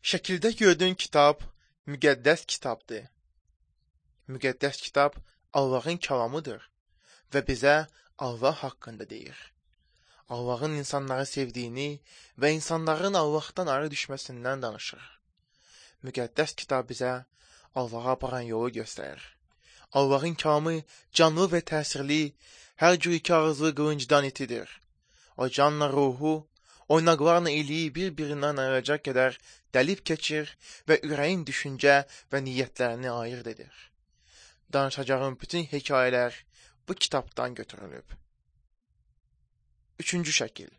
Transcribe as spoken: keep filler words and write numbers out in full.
Şəkildə gördüyün kitab müqəddəs kitabdır. Müqəddəs kitab Allahın kəlamıdır və bizə Allah haqqında deyir. Allahın insanları sevdiyini və insanların Allahdan ayrı düşməsindən danışır. Müqəddəs kitab bizə Allaha aparan yolu göstərir. Allahın kəlamı canlı və təsirli, hər cür iki ağızlı qılıncdan itidir. O canla ruhu, oynaqlarla iliyi bir-birindən ayıracaq qədər dəlib keçir və ürəyin düşüncə və niyyətlərini ayırt edir. Danışacağım bütün hekayələr bu kitabdan götürülüb. Üçüncü şəkil.